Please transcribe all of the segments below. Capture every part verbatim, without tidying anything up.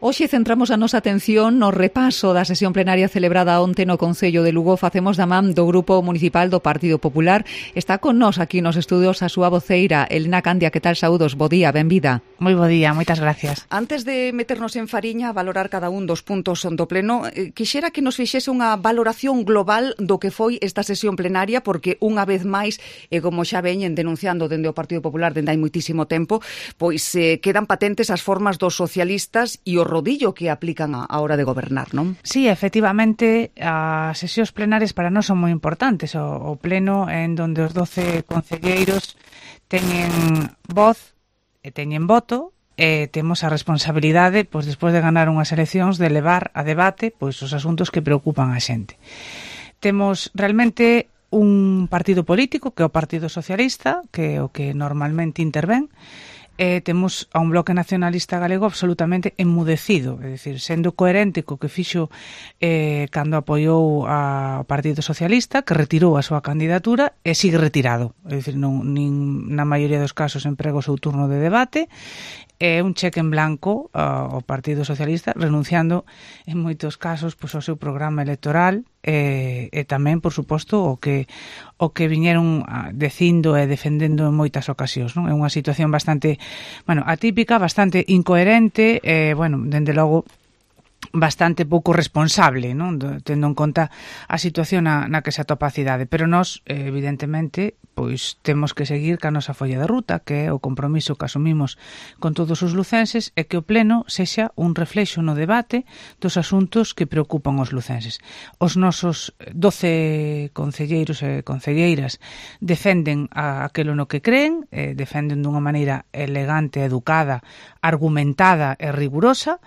Hoxe centramos a nosa atención no repaso da sesión plenaria celebrada onte no Concello de Lugo. Facemos da man do Grupo Municipal do Partido Popular. Está con nós aquí nos estudios a súa voceira, Elena Candia. Que tal, saúdos? Bo día, benvida. Moi bo día, moitas gracias. Antes de meternos en fariña a valorar cada un dos puntos do pleno, eh, quixera que nos fixese unha valoración global do que foi esta sesión plenaria, porque unha vez máis, e como xa veñen denunciando dende o Partido Popular dende hai moitísimo tempo, pois eh, quedan patentes as formas dos socialistas e o rodillo que aplican a, a hora de gobernar, non? Sí, efectivamente, as sesións plenarias para nós son moi importantes. O, o pleno en donde os doce concelleiros teñen voz e teñen voto, e temos a responsabilidade, pois despois de ganar unhas eleccións, de levar a debate pois os asuntos que preocupan a xente. Temos realmente un partido político, que é o Partido Socialista, que é o que normalmente intervén. Eh, temos a un bloque nacionalista galego absolutamente enmudecido, é dicir, sendo coherente co que fixo eh, cando apoiou ao Partido Socialista, que retirou a súa candidatura e sigue retirado, é dicir, non, nin, na maioría dos casos emprega o seu turno de debate, é un cheque en blanco ao Partido Socialista, renunciando en moitos casos pois, ao seu programa electoral e, e tamén, por suposto, o que o que viñeron dicindo e defendendo en moitas ocasións, non? É unha situación bastante, bueno, atípica, bastante incoherente e, bueno, dende logo bastante pouco responsable, non? Tendo en conta a situación na, na que se atopa a cidade, pero nós, evidentemente, pois temos que seguir ca nosa folla de ruta, que é o compromiso que asumimos con todos os lucenses, e que o pleno sexa un reflexo no debate dos asuntos que preocupan os lucenses. Os nosos doce concelleiros e concelleiras defenden a aquilo no que creen, eh, defenden dunha maneira elegante, educada, argumentada e rigurosa.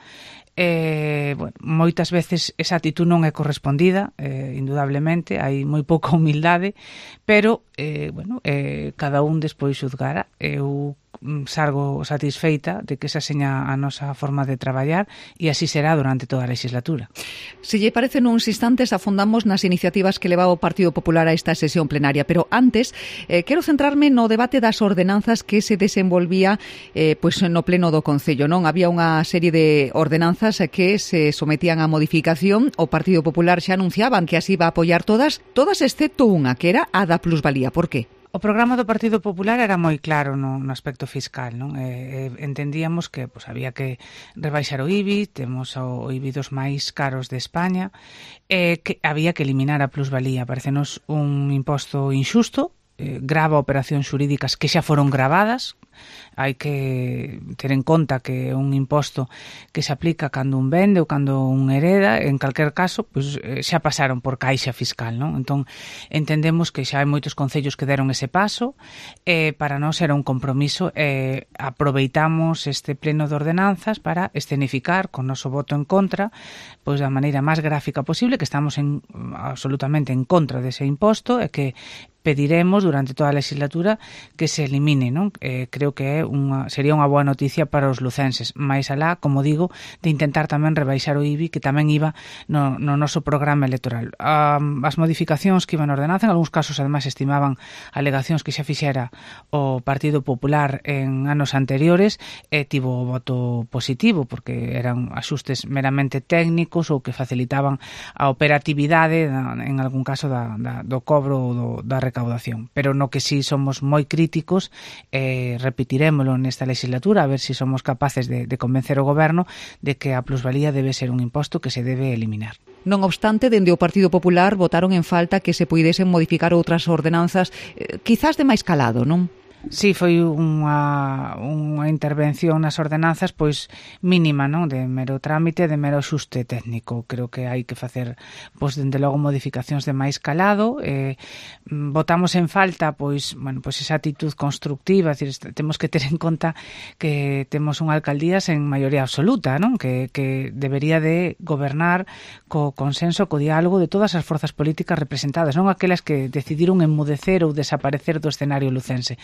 Eh, bueno, moitas veces esa actitud non é correspondida, eh, indudablemente, hai moi pouca humildade, pero, eh, bueno, eh, cada un despois xuzgará. Eu sargo satisfeita de que esa seña a nosa forma de traballar e así será durante toda a legislatura. Se lle parece, nuns instantes afondamos nas iniciativas que levaba o Partido Popular a esta sesión plenaria, pero antes eh, quero centrarme no debate das ordenanzas que se desenvolvía eh, pois no pleno do Concello, non? Había unha serie de ordenanzas que se sometían a modificación. O Partido Popular xa anunciaban que así iba a apoiar todas, todas excepto unha, que era a da plusvalía. Por qué? O programa do Partido Popular era moi claro no, no aspecto fiscal, non? Eh, entendíamos que pues, había que rebaixar o I B I, temos o, o I B I dos máis caros de España, eh, que había que eliminar a plusvalía. Parecenos un imposto injusto, eh, grava operacións xurídicas que xa foron gravadas. Hai que ter en conta que é un imposto que se aplica cando un vende ou cando un hereda. En calquer caso, pois, xa pasaron por caixa fiscal, non? Entón, entendemos que xa hai moitos concellos que deron ese paso, e para nós era un compromiso, e aproveitamos este pleno de ordenanzas para escenificar con noso voto en contra, pois da maneira máis gráfica posible, que estamos en, absolutamente en contra dese imposto e que pediremos durante toda a legislatura que se elimine, non? Eh, creo que é unha, sería unha boa noticia para os lucenses, máis alá, como digo, de intentar tamén rebaixar o I B I, que tamén iba no, no noso programa electoral. Um, as modificacións que iban a ordenanza, en algúns casos, además, estimaban alegacións que xa fixera o Partido Popular en anos anteriores, e tivo o voto positivo, porque eran axustes meramente técnicos ou que facilitaban a operatividade, en algún caso, da, da, do cobro ou do, da recaudación, pero no que sí somos moi críticos, eh, repetiremoslo nesta legislatura, a ver se si somos capaces de, de convencer o goberno de que a plusvalía debe ser un imposto que se debe eliminar. Non obstante, dende o Partido Popular votaron en falta que se puidesen modificar outras ordenanzas, eh, quizás de máis calado, non? Sí, foi unha, unha intervención nas ordenanzas pois mínima, non? De mero trámite, de mero xuste técnico. Creo que hai que facer, pois, dende logo, modificacións de máis calado. Eh, votamos en falta, pois, bueno, pois esa actitud constructiva, é dicir, temos que ter en conta que temos unha alcaldía sen maioría absoluta, non? Que, que debería de gobernar co consenso, co diálogo de todas as forzas políticas representadas, non aquelas que decidiron enmudecer ou desaparecer do escenario lucense.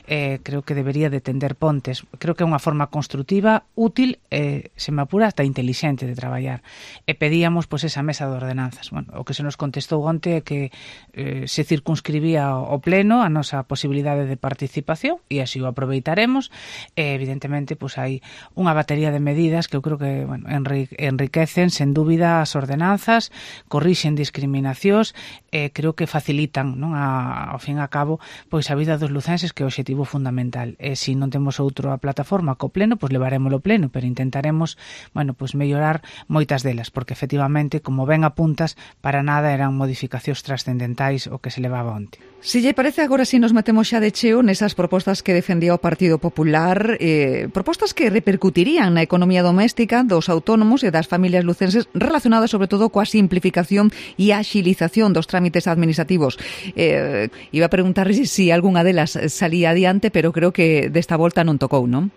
eh, creo que debería de tender pontes. Creo que é unha forma construtiva, útil, eh, se me apura, hasta intelixente de traballar. E pedíamos pois, esa mesa de ordenanzas. Bueno, o que se nos contestou onte é que eh, se circunscribía o pleno a nosa posibilidade de participación e así o aproveitaremos. E, evidentemente, pois, hai unha batería de medidas que eu creo que bueno, enriquecen, sen dúbida, as ordenanzas, corrixen discriminacións, e creo que facilitan, non, a, ao fin e a cabo, pois a vida dos lucenses, que é o obxectivo fundamental. E se non temos outra plataforma co pleno, pois levarémolo pleno, pero intentaremos, bueno, pois mellorar moitas delas, porque efectivamente, como ben apuntas, para nada eran modificacións trascendentais o que se levaba onte. Si lle parece, agora si nos metemos xa de cheo nesas propostas que defendía o Partido Popular, eh, propostas que repercutirían na economía doméstica dos autónomos e das familias lucenses, relacionadas sobre todo coa simplificación e axilización dos trámites administrativos. Eh, iba a preguntar si algunha delas salía adiante, pero creo que desta volta non tocou, non?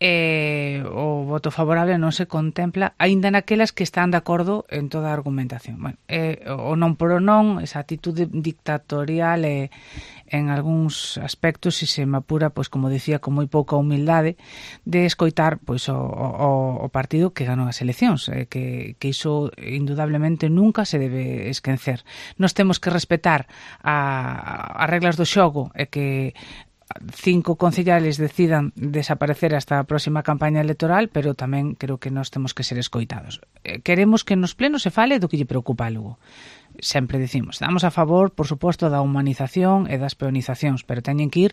Eh, o voto favorable non se contempla aínda naquelas que están de acordo en toda a argumentación. Bueno, eh, o non por o non, esa actitude dictatorial e eh, en algúns aspectos, se se me apura, pois como dicía, con moi pouca humildade de escoitar pois o, o, o partido que ganou as eleccións, eh, que, que iso indudablemente nunca se debe esquecer. Nos temos que respetar a, as reglas do xogo e que cinco concellales decidan desaparecer hasta a próxima campaña electoral, pero tamén creo que nós temos que ser escoitados. Queremos que nos plenos se fale do que lle preocupa a Lugo. Sempre dicimos, estamos a favor, por suposto, da humanización e das peonizacións, pero teñen que ir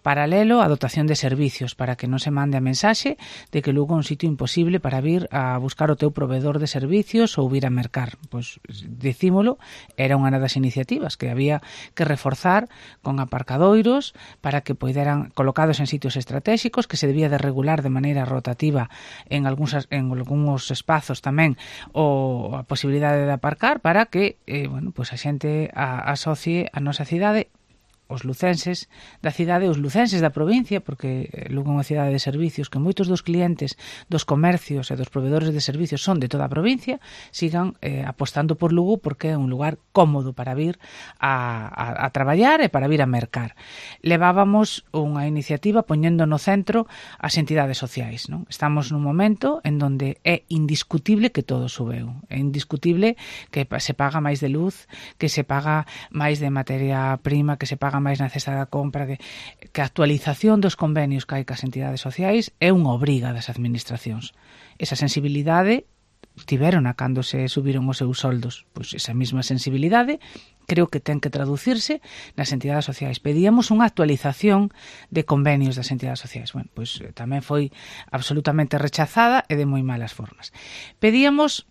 paralelo á dotación de servicios para que non se mande a mensaxe de que Lugo é un sitio imposible para vir a buscar o teu proveedor de servicios ou vir a mercar. Pois, dicímolo, era unha das iniciativas que había que reforzar con aparcadoiros para que poideran, colocados en sitios estratégicos, que se debía de regular de maneira rotativa en algúns, en algúns espazos tamén o a posibilidade de aparcar para que eh, bueno, pois a xente a, asocie a nosa cidade, os lucenses da cidade, os lucenses da provincia, porque Lugo é unha cidade de servicios que moitos dos clientes dos comercios e dos proveedores de servicios son de toda a provincia, sigan eh, apostando por Lugo porque é un lugar cómodo para vir a, a, a traballar e para vir a mercar. Levábamos unha iniciativa poñendo no centro as entidades sociais, non? Estamos nun momento en donde é indiscutible que todo subeu. É indiscutible que se paga máis de luz, que se paga máis de materia prima, que se paga máis na cesta da compra, que, que a actualización dos convenios que hai cas entidades sociais é unha obriga das administracións. Esa sensibilidade tiveron a cando se subiron os seus soldos. Pois esa mesma sensibilidade creo que ten que traducirse nas entidades sociais. Pedíamos unha actualización de convenios das entidades sociais. Bueno, pois tamén foi absolutamente rechazada e de moi malas formas. Pedíamos,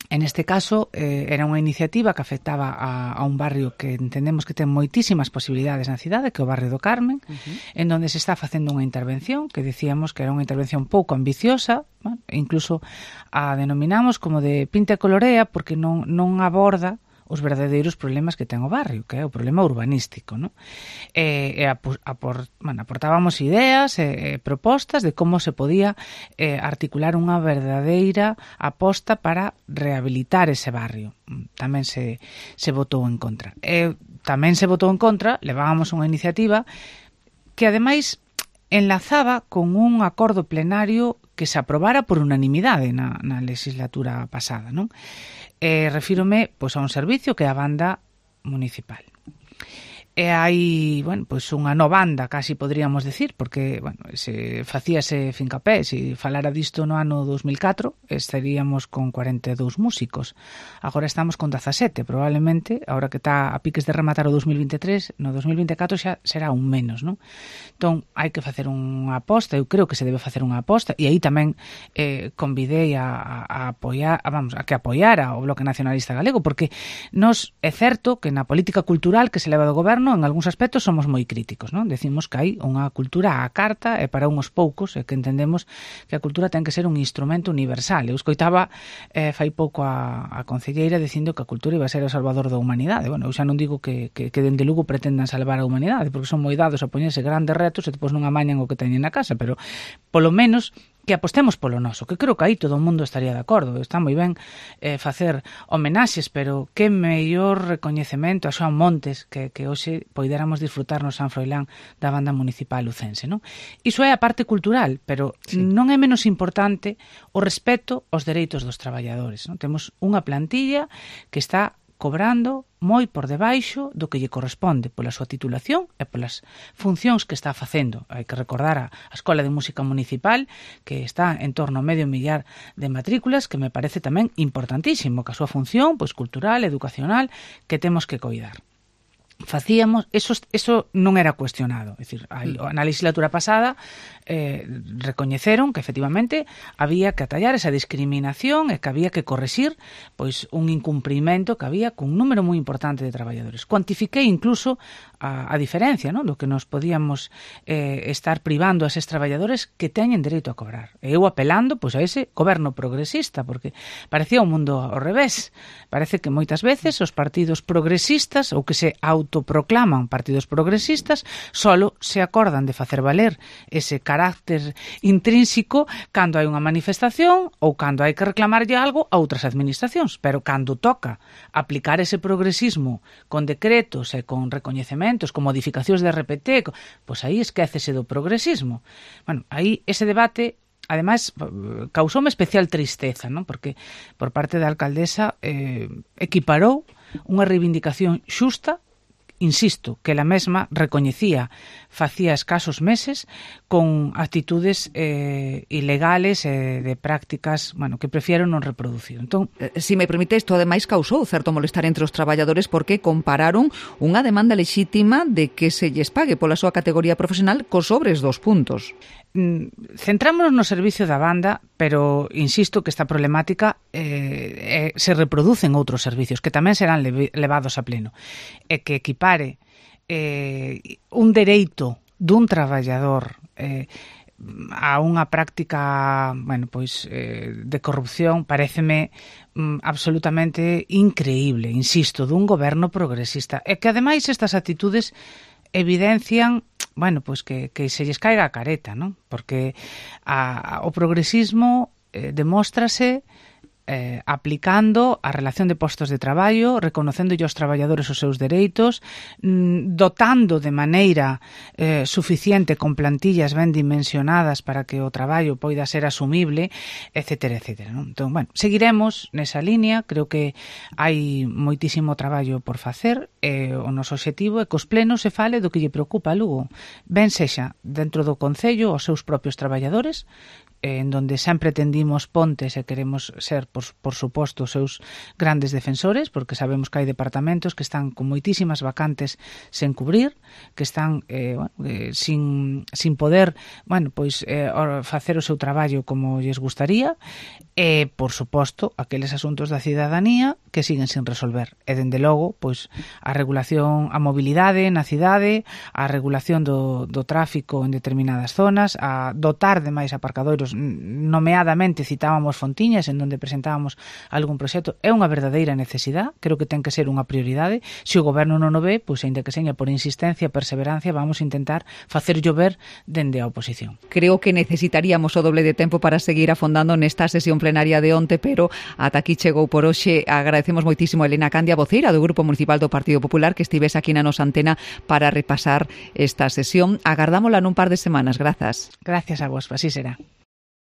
en este caso, eh, era unha iniciativa que afectaba a, a un barrio que entendemos que ten moitísimas posibilidades na cidade, que é o barrio do Carmen, uh-huh. en donde se está facendo unha intervención que dicíamos que era unha intervención pouco ambiciosa, bueno, incluso a denominamos como de pinta e colorea, porque non, non aborda os verdadeiros problemas que ten o barrio, que é o problema urbanístico, ¿no? E, e apor, apor, bueno, aportábamos ideas e, e propostas de como se podía eh, articular unha verdadeira aposta para rehabilitar ese barrio. Tamén se, se votou en contra. E tamén se votou en contra, levábamos unha iniciativa que ademais enlazaba con un acordo plenario que se aprobara por unanimidade na, na legislatura pasada, non? Eh, refírome pois, a un servicio que é a banda municipal. E hai, bueno, pois unha nova banda, casi podríamos decir, porque, bueno, se facíase fincapé, se falara disto no ano dos mil catro, estaríamos con cuarenta e dous músicos. Agora estamos con dezasete, probablemente, agora que está a piques de rematar o dos mil vinte e tres, no dos mil vinte e catro xa será un menos, non? Entón, hai que facer unha aposta, eu creo que se debe facer unha aposta, e aí tamén eh, convidei a, a apoiar, a, vamos, a que apoiara o Bloque Nacionalista Galego, porque nos é certo que na política cultural que se leva do goberno, en algúns aspectos somos moi críticos, non? Decimos que hai unha cultura á carta e para uns poucos, e que entendemos que a cultura ten que ser un instrumento universal. Eu escoitaba eh, fai pouco a, a concelleira dicindo que a cultura iba a ser o salvador da humanidade. Bueno, eu xa non digo que, que, que dende Lugo pretendan salvar a humanidade, porque son moi dados a poñerse grandes retos e depois non amañan o que teñen na casa, pero polo menos que apostemos polo noso, que creo que aí todo o mundo estaría de acordo. Está moi ben eh, facer homenaxes, pero que mellor recoñecemento a Xoán Montes que, que hoxe poidéramos disfrutar no San Froilán da banda municipal lucense, non? Iso é a parte cultural, pero sí, non é menos importante o respeto aos dereitos dos traballadores, non? Temos unha plantilla que está cobrando moi por debaixo do que lle corresponde pola súa titulación e polas funcións que está facendo. Hai que recordar a, a Escola de Música Municipal, que está en torno a medio millar de matrículas, que me parece tamén importantísimo, que a súa función pois cultural, educacional, que temos que coidar. Facíamos, eso, eso non era cuestionado, é dicir, na legislatura pasada eh, recoñeceron que efectivamente había que atallar esa discriminación e que había que correxir pois un incumprimento que había cun número moi importante de traballadores. Cuantifiquei incluso a, a diferencia, non, do que nos podíamos eh, estar privando a eses traballadores que teñen dereito a cobrar. E eu apelando pois a ese goberno progresista, porque parecía un mundo ao revés. Parece que moitas veces os partidos progresistas ou que se autoproclaman partidos progresistas solo se acordan de facer valer ese carácter intrínseco cando hai unha manifestación ou cando hai que reclamarlle algo a outras administracións, pero cando toca aplicar ese progresismo con decretos e con recoñecementos, con modificacións de R P T, pois aí esquécese do progresismo. Bueno, aí ese debate ademais causoume especial tristeza, non? Porque por parte da alcaldesa eh, equiparou unha reivindicación xusta, insisto, que ela mesma recoñecía facía escasos meses con actitudes eh, ilegales e eh, de prácticas, bueno, que prefiero non reproducir. Entón, eh, si me permite, isto ademais causou certo molestar entre os traballadores porque compararon unha demanda lexítima de que se lles pague pola súa categoría profesional cos sobres dos puntos. Centrámonos no servicio da banda, pero insisto que esta problemática eh, eh, se reproduce en outros servicios que tamén serán le- levados a pleno, e que equipare eh, un dereito dun traballador eh, a unha práctica, bueno, pois eh, de corrupción paréceme mm, absolutamente increíble, insisto, dun goberno progresista, e que ademais estas actitudes evidencian, bueno, pois que, que se lles caiga a careta, non? Porque a, a, o progresismo eh, demóstrase eh, aplicando a relación de postos de traballo, reconocéndolle aos traballadores os seus dereitos, mm, dotando de maneira eh, suficiente con plantillas ben dimensionadas para que o traballo poida ser asumible, etcétera, etcétera, non? Entón, bueno, seguiremos nesa línea, creo que hai moitísimo traballo por facer, e o noso obxectivo é que os plenos se fale do que lle preocupa a Lugo, ben sexa dentro do Concello os seus propios traballadores, en donde sempre tendimos pontes e queremos ser, por, por suposto, os seus grandes defensores, porque sabemos que hai departamentos que están con moitísimas vacantes sen cubrir, que están eh, bueno, eh, sin, sin poder, bueno, pois eh, facer o seu traballo como lles gustaría, e, por suposto, aqueles asuntos da cidadanía que siguen sin resolver. E, dende logo, pois, a regulación, a mobilidade na cidade, a regulación do, do tráfico en determinadas zonas, a dotar de máis aparcadoiros, nomeadamente citábamos Fontiñas, en donde presentábamos algún proxecto, é unha verdadeira necesidade, creo que ten que ser unha prioridade. Se o goberno non o ve, pois, ainda que seña por insistencia, perseverancia, vamos a intentar facer llover dende a oposición. Creo que necesitaríamos o doble de tempo para seguir afondando nesta sesión plenaria de onte, pero ata aquí chegou por hoxe. Agradecemos moitísimo a Elena Candia, voceira do Grupo Municipal do Partido Popular, que estivese aquí na nosa antena para repasar esta sesión. Agardámola nun par de semanas. Grazas. Gracias a vos, así será.